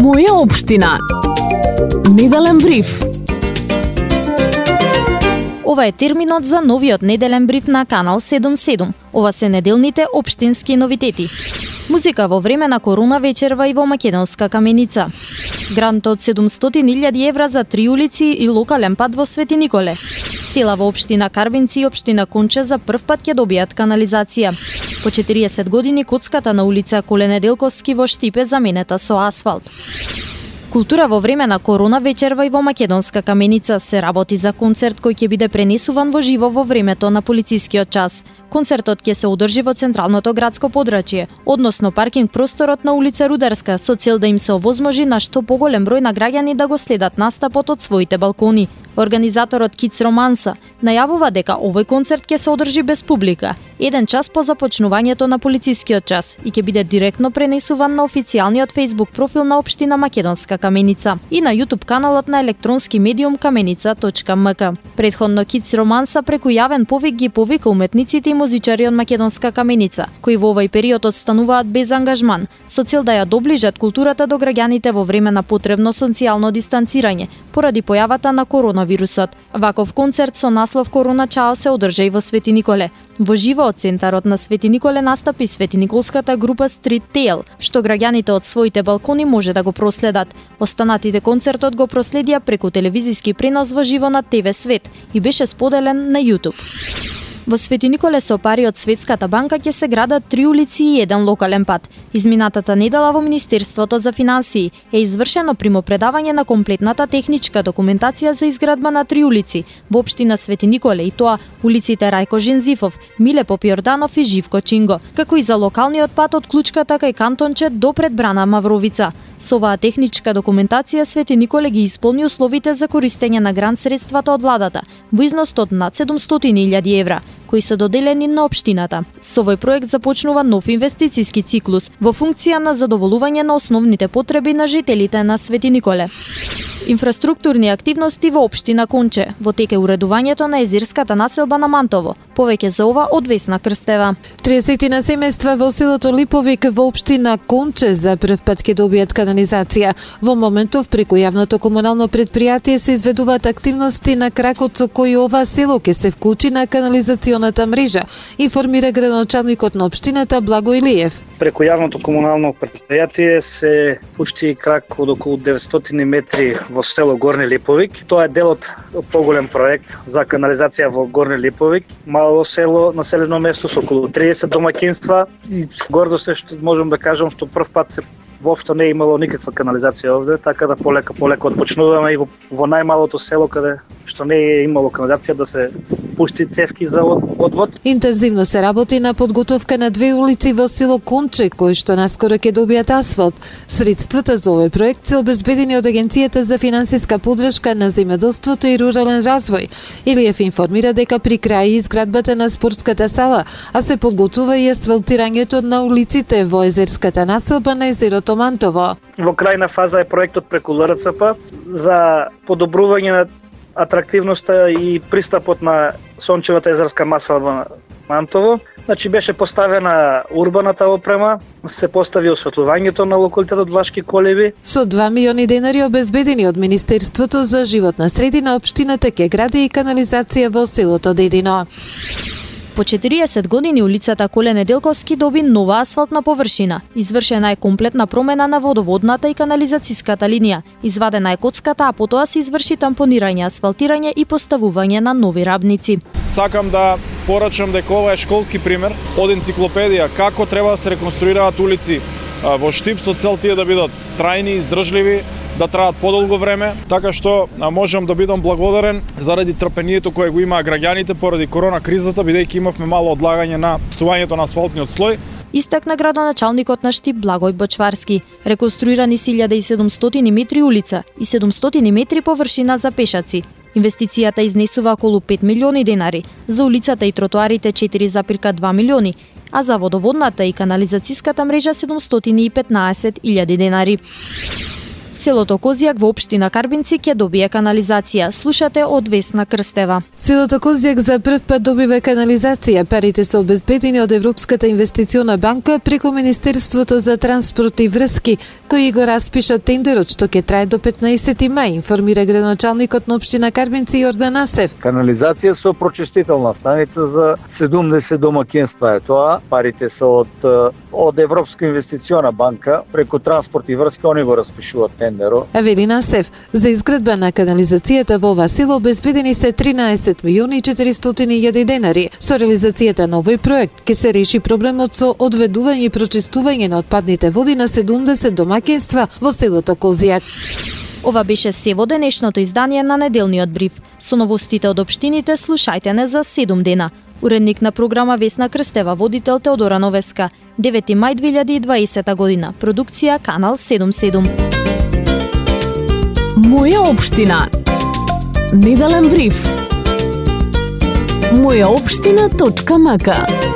Моја општина. Неделен бриф. Ова е терминот за новиот неделен бриф на Канал 77. Ова се неделните општински новитети. Музика во време на корона вечерва и во Македонска Каменица. Грант од 700.000 евра за 3 улици и локален пат во Свети Николе. Села во општина Карбинци и општина Конче за прв пат ќе добијат канализација. По 40 години коцката на улица Коле Неделковски во Штипе заменета со асфалт. Култура во време на корона вечерва и во Македонска Каменица. Се работи за концерт кој ќе биде пренесуван во живо во времето на полицискиот час. Концертот ќе се одржи во централното градско подрачје, односно паркинг просторот на улица Рударска, со цел да им се овозможи на што поголем број на граѓани да го следат настапот од своите балкони. Организаторот Kids Romansa најавува дека овој концерт ќе се одржи без публика, 1 час по започнувањето на полицискиот час и ќе биде директно пренесуван на официјалниот Facebook профил на општина Македонска Каменица и на YouTube каналот на електронски медиум каменица.mk. Претходно Kids Romansa преку јавен повик ги повика уметниците и музичари од Македонска Каменица, кои во овој период отстануваат без ангажман, со цел да ја доближат културата до граѓаните во време на потребно социјално дистанцирање, поради појавата на коронавирусот. Ваков концерт со наслов Корона Чао се одржа и во Свети Николе. Во живо од центарот на Свети Николе настапи Свети Николската група Street Tale, што граѓаните од своите балкони може да го проследат. Останатите концертот го проследија преку телевизиски пренос во живо на ТВ Свет и беше споделен на YouTube. Во Свети Николе со пари од Светската банка ќе се градат 3 улици и 1 локален пат. Изминатата недела во Министерството за финансии е извршено примопредавање на комплетната техничка документација за изградба на 3 улици во општина Свети Николе, и тоа улиците Рајко Жензифов, Миле Попјорданов и Живко Чинго, како и за локалниот пат од Клучката кај Кантонче до пред брана Мавровица. Со оваа техничка документација Свети Николе ги исполни условите за користење на грант средствата од владата во износ од над 700.000 евра, кои се доделени на општината. Со овој проект започнува нов инвестициски циклус во функција на задоволување на основните потреби на жителите на Свети Николе. Инфраструктурни активности во општина Конче. Во тек е уредувањето на езерската населба на Мантово. Повеќе за ова од Весна Крстева. 30 на семејства во селото Липовик во општина Конче за прв пат ќе добијат канализација. Во моментов преку јавното комунално предпријатие се изведуваат активности на кракот со кој ова село ќе се вклучи на канализационата мрежа, информира градоначалникот на општината Благо Илиев. Преку јавното комунално предпријатие се пушти крак од околу 900 метри во село Горни Липовик. Тоа е дел од поголем проект за канализација во Горни Липовик. Мало село, населено место со околу 30 домаќинства и гордо се што можам да кажам што прв пат се воопшто не е имало никаква канализација овде, така да полека отпочнуваме и во најмалото село каде што не е имало канализација да се пушти цевки за одвод. Интензивно се работи на подготовка на 2 улици во село Конче, кои што наскоро ќе добијат асфалт. Средствата за овој проект се обезбедени од Агенцијата за финансиска поддршка на земјоделството и рурален развој. Илиев информира дека при крај изградбата на спортската сала, а се подготвува и асфалтирањето на улиците во езерската населба на езерото Мантово. Во крајна фаза е проектот преку ЛРЦП за подобрување на атрактивноста и пристапот на сончевата езерска населба на Мантово. Значи беше поставена урбаната опрема, се постави осветлувањето на локалитетот Влашки колеби. Со 2 милиони денари обезбедени од Министерството за животна средина, општината ќе гради и канализација во селото Дедино. По 40 години улицата Коле Неделковски доби нова асфалтна површина. Извршена е комплетна промена на водоводната и канализацијската линија. Извадена е коцката, а потоа се изврши тампонирање, асфалтирање и поставување на нови рабници. Сакам да порачам дека ова е школски пример од енциклопедија како треба да се реконструираат улици во Штип со цел тие да бидат трајни, издржливи, да траат подолго време, така што можам да бидам благодарен заради трпението кое го имаа граѓаните поради корона кризата, бидејќи имавме мало одлагање на пустувањето на асфалтниот слој. Истакна градоначалникот на Штип Благој Бочварски. Реконструирани 1700 метри улица и 700 метри површина за пешаци. Инвестицијата изнесува околу 5 милиони денари, за улицата и тротоарите 4,2 милиони, а за водоводната и канализацијската мрежа 715.000 денари. Селото Козјак во општина Карбинци ќе добие канализација. Слушате од Весна Крстева. Селото Козјак за прв пат добива канализација. Парите се обезбедени од Европската инвестициона банка преку Министерството за транспорт и врски, кои го распиша тендерот што ќе трае до 15 мај, информира градоначалникот на општина Карбинци Јордан Асев. Канализација со прочистителна станица за 70 домаќинства е тоа. Парите се од Европска инвестициона банка преку транспорт и врски, они го распишуваат тендерот. Авелин Асев, за изградба на канализацијата во ова село обезбедени се 13 милиони и 400.000 денари. Со реализацијата на овој проект ќе се реши проблемот со одведување и прочистување на отпадните води на 70 домаќинства во селото Козјак. Ова беше се во денешното издание на неделниот бриф. Со новостите од општините слушајте не за 7 дена. Уредник на програма Весна Крстева, водител Теодора Новеска. 9 мај 2020 година. Продукција Канал 77. Моја општина. Неделен бриф. Мојаопштина.мк